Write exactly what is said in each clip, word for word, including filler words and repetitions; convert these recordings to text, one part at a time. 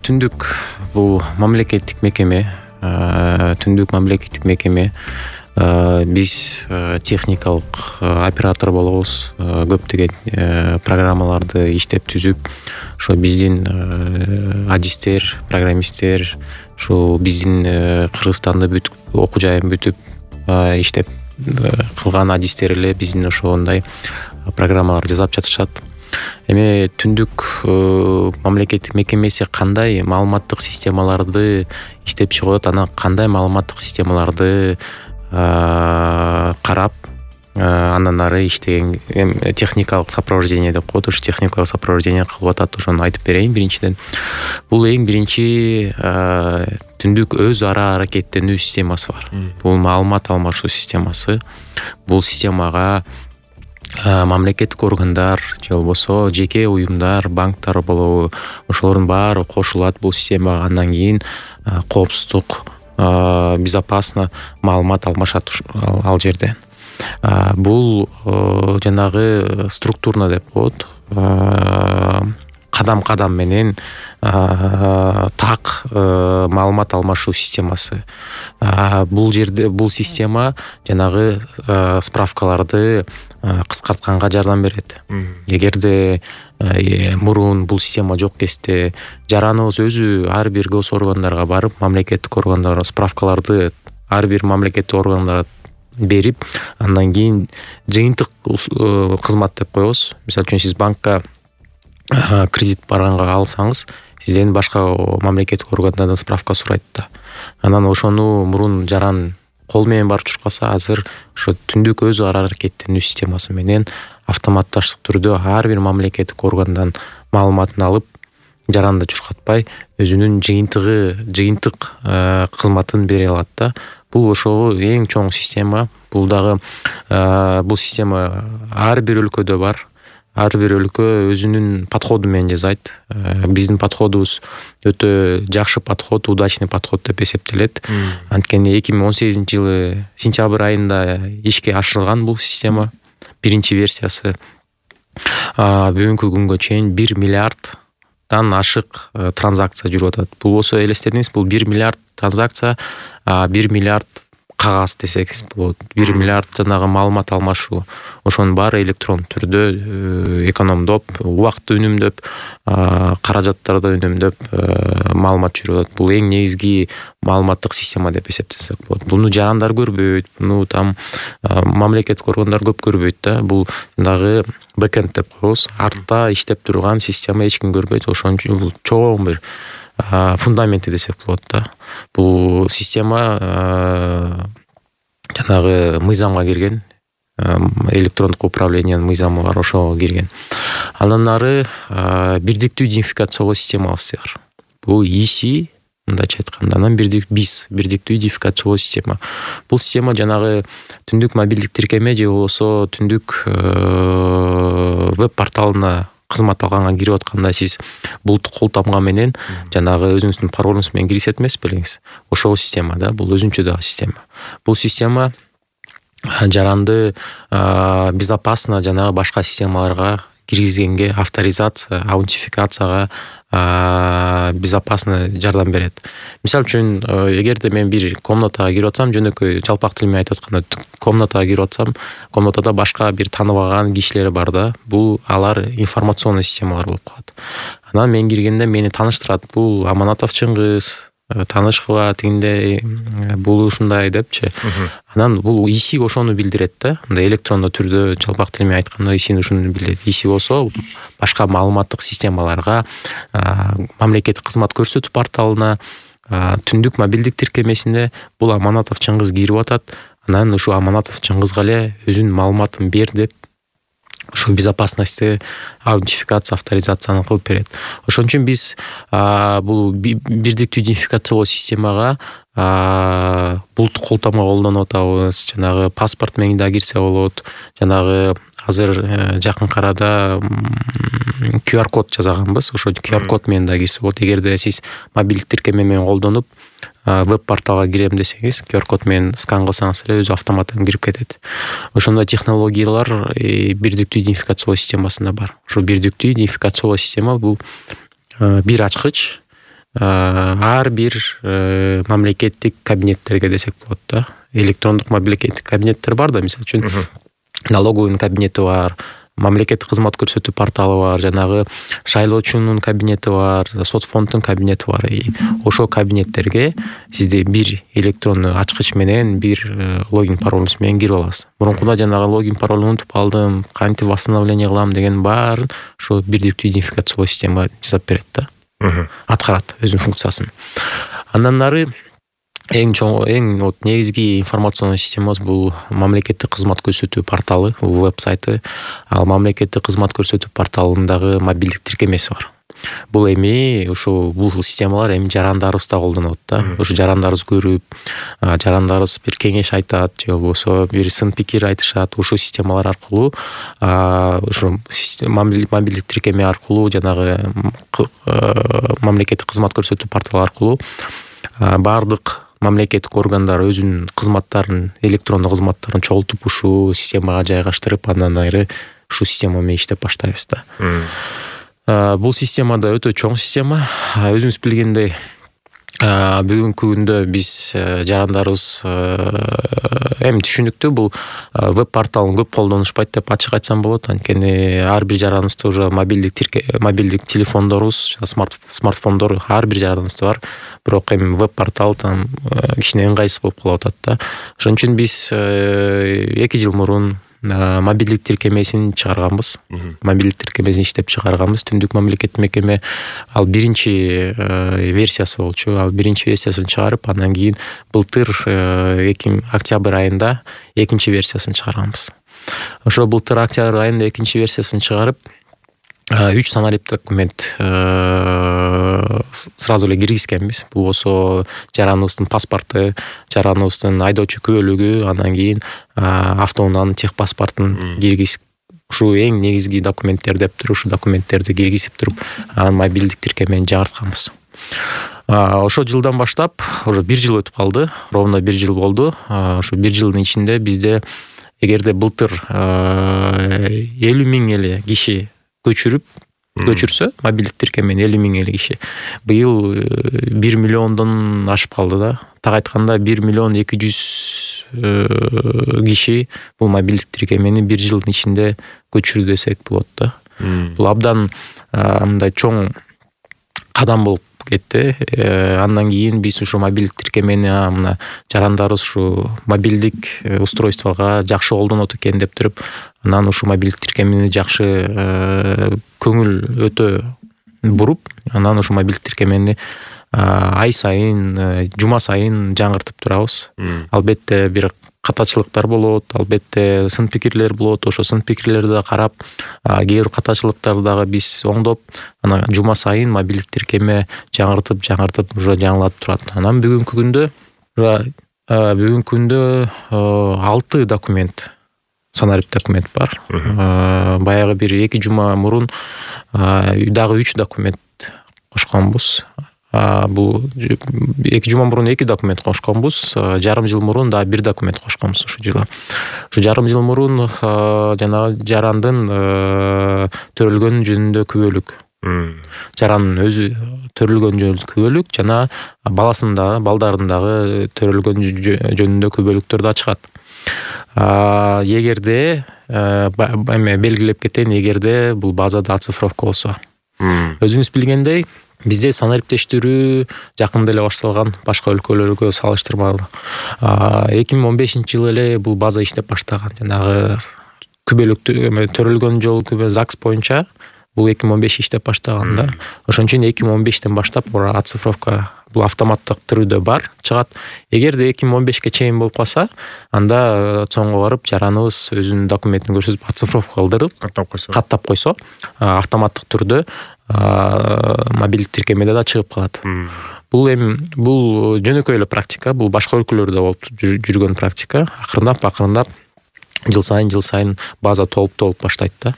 Түндүк бул мамлекеттик мекеме, Түндүк мамлекеттик мекеме. Биз техникалык оператор болобуз. Көптөгөн программаларды иштеп түзүп, ошо биздин адистер, программисттер, ушул биздин Кыргызстанда бүт окуу жайын бүтүп иштеп кылган адистер эле биздин ошондой программаларды жасап жатышат. Эми Түндүк мамлекеттик мекемеси кандай маалыматтык системаларды иштеп чыгып атат, анан кандай маалыматтык системаларды карап, андан ары иштеген техникалык сопровождение деп коет, ушу техникалык сопровождение кылып атат. Ошону айтып берейин. Биринчиден, бул эң биринчи Түндүк өз ара аракеттенүү системасы бар. Бул маалымат алмашуу системасы. Бул системага мамлекеттик органдар же болбосо жеке уюмдар, банктар болобу, ошолордун баары кошулат бул системага. Андан кийин коопсуздук, безопасно маалымат алмашат ал жерде. Бул жанагы структурно деп коет, кадам-кадам менен так маалымат алмашуу системасы. Бул жерде бул система жанагы справкаларды кыскартканга жардам берет. Эгерде мурун бул система жок кезде жараныбыз өзү ар бир гос органдарга барып, мамлекеттик органдарга справкаларды ар бир мамлекеттик органдарга берип, андан кийин жыйынтык кызмат деп коебуз. Мисалы үчүн сиз банкка кредит барганга алсаңыз, сизден башка мамлекеттик органдардан справка сурайт да. Анан ошону мурун жаран кол менен барып чуркаса, азыр ошо Түндүк өз ара аракеттенүү системасы менен автоматташтык түрдө ар бир мамлекеттик органдан маалыматын алып, жаранды чуркатпай, өзүнүн жыйынтыгы, жыйынтык кызматын бере алат да. Бул ошо эң чоң система. Бул дагы бул система ар бир өлкөдө бар. Ар бир өлкө өзүнүн подходу менен жасайт. Биздин подходубуз өтө жакшы подход, удачный подход деп эсептелет. Анткени эки миң он сегизинчи жылы сентябрь айында ишке ашырылган бул система. Биринчи версиясы. Бүгүнкү күнгө чейин бир миллиарддан ашык транзакция жүрүп атат. Бул болсо элестетиңиз, бул бир миллиард транзакция, бир миллиард кагаз десеңиз болот. бир миллиард жанагы маалымат алмашуу. Ошонун баары электрон түрдө экономдоп, убакытты үнөмдөп, каражаттарды үнөмдөп маалымат жүрүп атат. Бул эң негизги маалыматтык система деп эсептесек болот. Буну жарандар көрбөйт, буну там мамлекеттик органдар көп көрбөйт да. Бул дагы бэкэнд деп коебуз. Артта иштеп турган система эч ким көрбөйт. Ошон үчүн бул чоң бир фундаменти десек болот да. Бул система жанагы мыйзамга кирген, электрондук управлениянын мыйзамы бар, ошого кирген. Андан ары бирдиктүү идентификациялоо системабыз бар. Бул и си, мындайча айтканда, анан биз бирдиктүү идентификациялоо система. Бул система жанагы Түндүк мобилдик тиркеме же болбосо Түндүк веб порталына кызмат алганга кирип атканда сиз булуттук кол тамга менен жанагы өзүңүздүн паролуңуз менен киргизет эмес белеңиз. Ошол система да, бул өзүнчө дагы система. Бул система жаранды безопасно жанагы башка системаларга киргизгенге, авторизация, аутентификацияга безопасно жардам берет. Мисалы үчүн, эгерде мен бир комнатага кирип атсам, жөнөкөй жалпак тил менен айтып атканда, комнатага кирип атсам, комнатада башка бир тааныбаган кишилер бар да. Бул алар информационный системалар болуп калат. Анан мен киргенде мени тааныштырат. Бул Аманатов Чыңгыз, таанышкыла тигиндей, бул ушундай депчи. Анан бул и си ошону билдирет да. Мындай электрондуу түрдө жалпак тил менен айтканда и си ушуну билдирет. и си болсо башка маалыматтык системаларга, мамлекеттик кызмат көрсөтүү порталына, Түндүк мобилдик тиркемесине бул Аманатов Чыңгыз кирип атат. Анан ушу Аманатов Чыңгызга эле өзүнүн маалыматын бер деп ошо безопасности, аутентификация, авторизацияны кылып берет. Ошон үчүн биз бул бирдиктүү идентификациялоо системага булуттук кол тамга колдонуп атабыз. Жанагы паспорт менен да кирсе болот. Жанагы азыр жакын арада ку ар код жасаганбыз. Ошо ку ар код менен да кирсе болот. Эгерде сиз мобилдик тиркеме менен колдонуп веб порталга кирем десеңиз, ку ар код менен скан кылсаңыз эле өзү автоматтан кирип кетет. Ошондой технологиялар бирдиктүү идентификациялоо системасында бар. Ошо бирдиктүү идентификациялоо система бул бир ачкыч, ар бир мамлекеттик кабинеттерге десек болот да. Электрондук мамлекеттик кабинеттер бар да, мисалы үчүн налоговый кабинети бар, мамлекеттик кызмат көрсөтүү порталы бар, жанагы шайлоочунун кабинети бар, сот фонддун кабинети бар. Ошол кабинеттерге сизде бир электрондуу ачкыч менен, бир логин паролуңуз менен кирип аласыз. Мурункуда жанагы логин паролду унутуп калдым, кантип восстановление кылам деген баарын ошо бирдиктүү идентификациялоо система жасап берет да. Аткарат өзүнүн функциясын. Андан нары эң чоң, эң вот негизги информационный системабыз бул мамлекеттик кызмат көрсөтүү порталы, веб-сайты. Ал мамлекеттик кызмат көрсөтүү порталындагы мобилдик тиркемеси бар. Бул эми ошо бул системалар эми жарандарыбызда колдонот да. Ошо жарандарыбыз көрүп, жарандарыбыз бир кеңеш айтат, же болбосо бир сын пикир айтышат. Ошо системалар аркылуу, ошо мобилдик тиркеме аркылуу, жанагы мамлекеттик кызмат көрсөтүү порталы аркылуу бардык мамлекеттик органдар өзүнүн кызматтарын, электрондук кызматтарын чогултуп ушул системага жайгаштырып, андан ары ушул система менен иштеп баштайбыз да. Бул система да өтө чоң система. Өзүңүз билгендей, бүгүнкү күндө биз жарандарыбыз эми түшүнүктүү, бул веб порталын көп колдонушпайт деп ачык айтсам болот. Анткени ар бир жараныбызда уже мобилдик тирке, мобилдик телефондорубуз, смарт смартфондор ар бир жараныбызда бар. Бирок эми веб портал там кичине ыңгайсыз болуп калып атат да. Ошон үчүн биз эки жыл мурун мобилдик тиркемесин чыгарганбыз. Мобилдик тиркемесин иштеп чыгарганбыз. Түндүк мамлекеттик мекеме ал биринчи версиясы болчу. Ал биринчи версиясын чыгарып, андан кийин былтыр октябрь айында экинчи версиясын чыгарганбыз. Ошо былтыр октябрь айында экинчи версиясын чыгарып, үч санарип документ сразу эле киргизгенбиз. Бул болсо жараныбыздын паспорту, жараныбыздын айдоочу күбөлүгү, андан кийин автоунаанын тех паспортун киргизип, ушу эң негизги документтер деп туруп, ушу документтерди киргизип туруп, анан мобилдик тиркемени жаңыртканбыз. Ошол жылдан баштап, уже бир жыл өтүп калды, ровно бир жыл болду. Ошо бир жылдын ичинде бизде, эгерде былтыр элүү миң эле киши көчүрүп көчүрсө, мобилдик тиркемени элүү миң эле киши, быйыл бир миллиондон ашып калды да. Так айтканда бир миллион эки жүз киши бул мобилдик тиркемени бир жылдын ичинде көчүрдү десек болот да. Бул абдан мындай чоң кадам болуп кетти. Андан кийин биз ушу мобилдик тиркемени мына жарандарыбыз ушу мобилдик устройствого жакшы колдонот экен деп туруп, анан ушу мобилдик тиркемени жакшы көңүл өтө буруп, анан ушу мобилдик тиркемени ай сайын, жума сайын жаңыртып турабыз. Албетте бир катачылыктар болот, албетте сын пикирлер болот. Ошо сын пикирлерди карап, кээ бир катачылыктарды дагы биз оңдоп, анан жума сайын мобилдик тиркеме жаңыртып, жаңыртып уже жаңылатып турат. Анан бүгүнкү күндө, бүгүнкү күндө алты документ, санарип документ бар. Баягы бир эки жума мурун дагы үч документ кошконбуз. Бул эки жума мурун эки документ кошконбуз, жарым жыл мурун да бир документ кошконбуз ушул жылы. Ушу жарым жыл мурун жанагы жарандын төрөлгөнү жөнүндө күбөлүк, жарандын өзү төрөлгөн жөнүндө күбөлүк жана баласындагы, балдарындагы төрөлгөн жөнүндө күбөлүктөр да чыгат. Эгерде эме белгилеп кетейин, эгерде бул базада оцифровка болсо. Өзүңүз билгендей, бизде санариптештирүү жакында эле башталган, башка өлкөлөргө салыштырмалуу. эки миң он бешинчи жылы эле бул база иштеп баштаган. Жанагы күбөлүктү төрөлгөн жол күбө ЗАГС боюнча бул эки миң он беш иштеп баштаган да. Ошон үчүн эки миң он бештен баштап оцифровка бул автоматтык түрдө бар, чыгат. Эгерде эки миң он бешке чейин болуп калса, анда соңго барып жараныбыз өзүнүн документин көрсөтүп оцифровка кылдырып, каттап койсо, каттап койсо, автоматтык түрдө мобилдик тиркемеде да чыгып калат. Бул эми бул жөнөкөй эле практика, бул башка өлкөлөрдө болуп жүргөн практика. Акырындап, акырындап жыл сайын жыл сайын база толуп толуп баштайт да.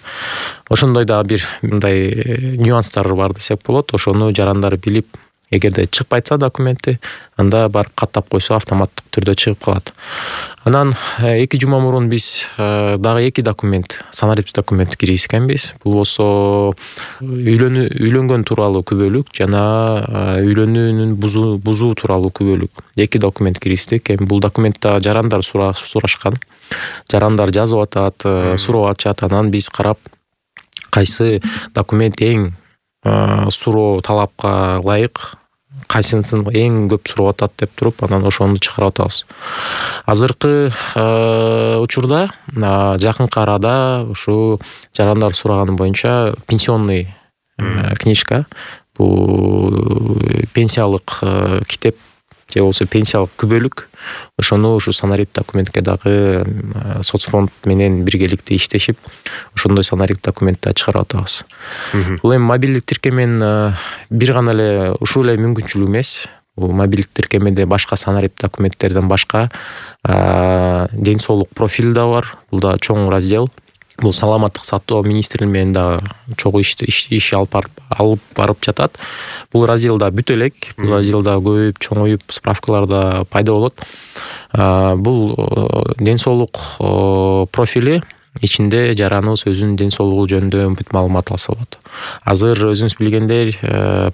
Ошондой да бир мындай нюанстар бар десек болот. Ошону жарандар билип, эгерде чыкпайса документи, анда барып каттап койсо автоматтык түрдө чыгып калат. Анан эки жума мурун биз дагы эки документ, санариптик документти киргизгенбиз. Бул болсо үйлөнүү үйлөнгөн тууралуу күбөлүк жана үйлөнүүнүн бузуу бузуу тууралуу күбөлүк. Эки документ киргиздик. Эми бул документте жарандар сурашкан. Жарандар жазып атат, суроо ачат. Анан биз карап кайсы документ эң суроо талапка ылайык, кайсысын эң көп сурап атат деп туруп, анан ошону чыгарып атабыз. Азыркы учурда жакынкы арада ушу жарандар сураганы боюнча пенсионный книжка, бул пенсиялык китеп же болбосо пенсиялык күбөлүк, ошону ушу санариптик документке дагы соцфонд менен биргеликте иштешип, ошондой санариптик документти чыгарып атабыз. Бул эми мобилдик тиркеменин бир гана эле ушул эле мүмкүнчүлүгү эмес. Бул мобилдик тиркемеде башка санариптик документтерден башка ден соолук профили да бар. Бул да чоң раздел. Бул саламаттык сактоо министрлиги менен да чогуу иш алып алып барып жатат. Бул разделда бүт элек, бул разделда көбөйүп, чоңоюп, справкалар да пайда болот. Бул ден соолук профили ичинде жараныбыз өзүнүн ден соолугу жөнүндө бүт маалымат алса болот. Азыр өзүңүз билгендей,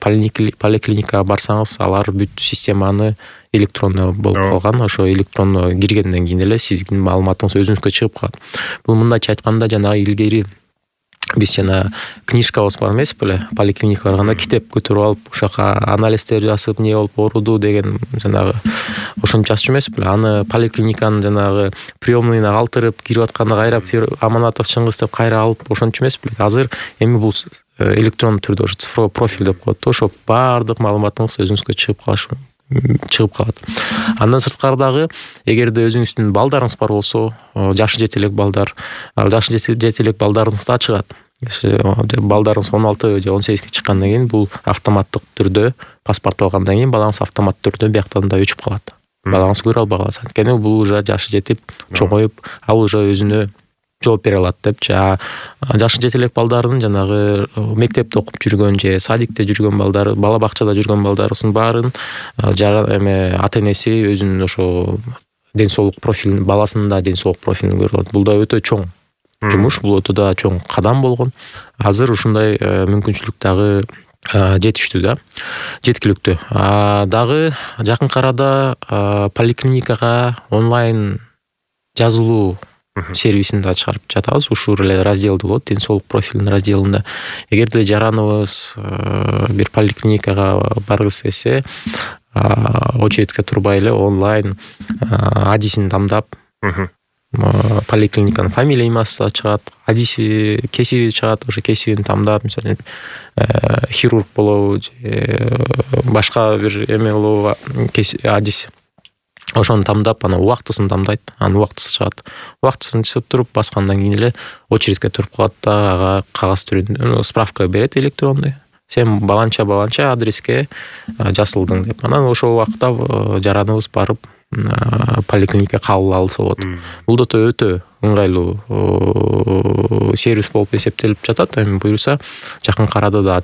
поликлиникага барсаңыз, алар бүт системаны электронно болуп калган. Ошо электронно киргенден кийин эле сиздин маалыматыңыз өзүңүзгө чыгып калат. Бул мындайча айтканда жанагы илгери биз жана книжкабыз бар эмес беле, поликлиникага барганда китеп көтөрүп алып, ошока анализдер жасап, эмне болуп ооруду деген жанагы ошентип жазчу эмес беле. Аны поликлиниканын жанагы приёмныйына калтырып, кирип атканда кайра Аманатов Чыңгыз деп кайра алып ошентчу эмес беле. Азыр эми бул электрондуу түрдө ошо цифровой профиль деп коет. Ошо баардык маалыматыңыз өзүңүзгө чыгып калышы чыгып калат. Андан сырткары дагы, эгерде өзүңүздүн балдарыңыз бар болсо, жашы жете элек балдар, жашы жете элек балдарыңыз да чыгат. Балдарыңыз он алты же он сегизге чыккандан кийин бул автоматтык түрдө паспорт алгандан кийин балаңыз автоматтык түрдө бияктан да өчүп калат. Балаңыз көрө албай калат. Анткени бул уже жашы жетип, чоңоюп, ал уже өзүнө жооп бере алат деп. Жашы жете элек балдардын жанагы мектепте окуп жүргөн же садикте жүргөн балдары, бала бакчада жүргөн балдарыбыздын баарын эме ата-энеси өзүнүн ошо ден соолук профилин, баласынын да ден соолук профилин көрө алат. Бул да өтө чоң жумуш, бул өтө да чоң кадам болгон. Азыр ушундай мүмкүнчүлүк дагы жетиштүү да, жеткиликтүү. Дагы жакынкы арада поликлиникага онлайн жазылуу сервисин да чыгарып жатабыз. Ушул эле разделде болот, ден соолук профилинин разделинде. Эгерде жараныбыз бир поликлиникага баргысы келсе, очередке турбай эле онлайн адисин тандап, поликлиниканын фамилия имасы да чыгат, адиси, кесиби чыгат, ошо кесибин тандап, мисалы хирург болобу же башка бир эме болобу, адис, ошону тандап, анан убактысын тандайт, анын убактысы чыгат. Убактысын чыгып туруп баскандан кийин эле очередке туруп калат да, ага кагаз түрүндө справка берет электронный. Сен баланча баланча адреске жасылдың деп. Анан ошол убакта жараныбыз барып поликлиника кабыл алса болот. Бул да өтө ыңгайлуу сервис болуп эсептелип жатат. Эми буюрса, жакынкы арада да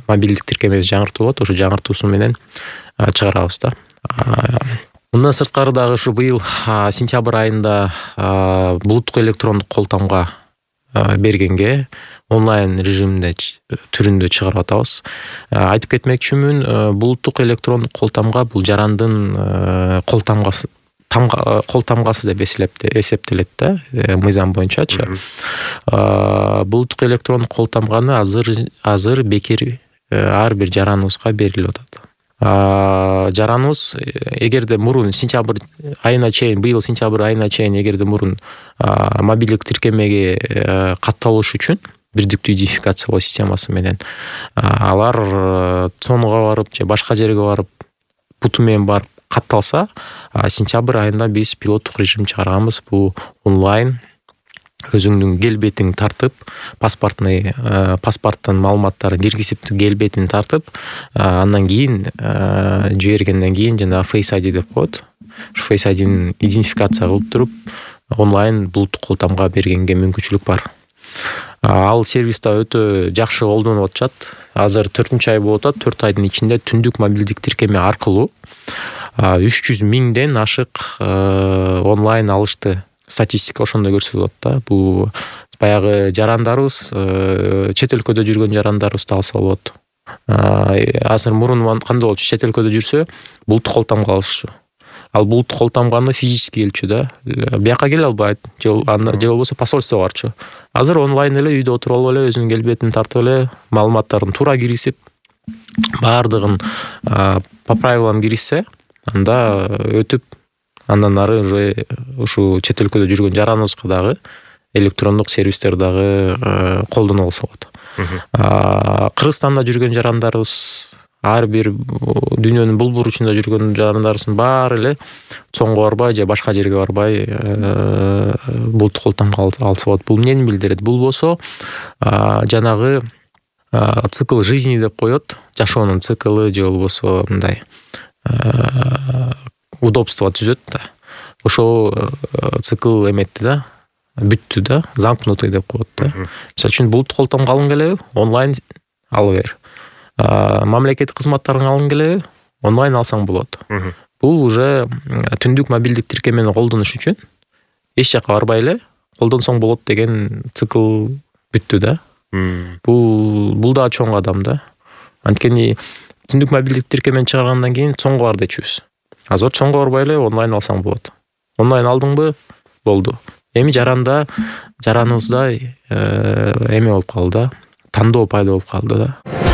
мобилдик тиркемебиз жаңыртылат, ошо жаңыртуусу менен чыгарабыз да. Мындан сырткары дагы ушу быйыл сентябрь айында булуттук электрондук кол тамга бергенге онлайн режимде түрүндө чыгарып атабыз. Айтып кетмекчүмүн, булуттук электрондук кол тамга бул жарандын кол тамгасы тамга кол тамгасы деп эсептелет да, мыйзам боюнчачы. Булуттук электрондук кол тамганы азыр азыр бекер ар бир жараныбызга берилип атат. Жараныбыз эгерде мурун сентябрь айына чейин, быйыл сентябрь айына чейин эгерде мурун мобилдик тиркемеге катталыш үчүн бирдиктүү идентификациялоо системасы менен алар цонуга барып же башка жерге барып буту менен барып катталса, сентябрь айында биз пилоттук режим чыгарганбыз. Бул онлайн өзүңдүн келбетиң тартып, паспортный паспорттун маалыматтарын киргизип, келбетин тартып, андан кийин жибергенден кийин жана Face ай ди деп коет. Face ай дини идентификация кылып туруп, онлайн булуттук кол тамга бергенге мүмкүнчүлүк бар. Ал сервис да өтө жакшы колдонулуп атышат. Азыр төртүнчү ай болуп атат. төрт айдын ичинде түндүк мобилдик тиркеме аркылуу үч жүз миңден ашык онлайн алышты. Статистика ошондой көрсөтүп атат да. Бул баягы жарандарыбыз, чет өлкөдө жүргөн жарандарыбызды алса болот. Азыр мурун кандай болчу? Чет өлкөдө жүрсө булуттук кол тамга алышчу. Ал булуттук кол тамганы физически келчү да. Бияка келе албайт, же болбосо посольствого барчу. Азыр онлайн эле үйдө отуруп алып эле өзүнүн келбетин тартып эле маалыматтарын туура киргизип, баардыгын по правилам киргизсе, анда өтүп, андан ары уже ушу чет өлкөдө жүргөн жараныбызга дагы электрондук сервистер дагы колдоно алса болот. Кыргызстанда жүргөн жарандарыбыз, ар бир дүйнөнүн бул буручунда жүргөн жарандарыбыздын баары эле чоңго барбай же башка жерге барбай булуттук кол тамга алса болот. Бул эмнени билдирет? Бул болсо жанагы цикл жизни деп коет, жашоонун циклы же болбосо мындай удобство түзөт да. Ошол цикл эметти да, бүттү да, замкнутый деп коет да. Мисалы үчүн булуттук кол тамга алгың келеби? Онлайн ала бер. Мамлекеттик кызматтарын алгың келеби? Онлайн алсаң болот. Бул уже түндүк мобилдик тиркемени колдонуш үчүн эч жака барбай эле колдонсоң болот деген цикл бүттү да. Бул бул да чоң кадам да. Анткени түндүк мобилдик тиркемени чыгаргандан кийин чоңго бар дечүбүз. Азыр чоңго барбай эле онлайн алсаң болот. Онлайн алдыңбы? Болду. Эми жаранда жараныбызда эме болуп калды да, тандоо пайда болуп калды да.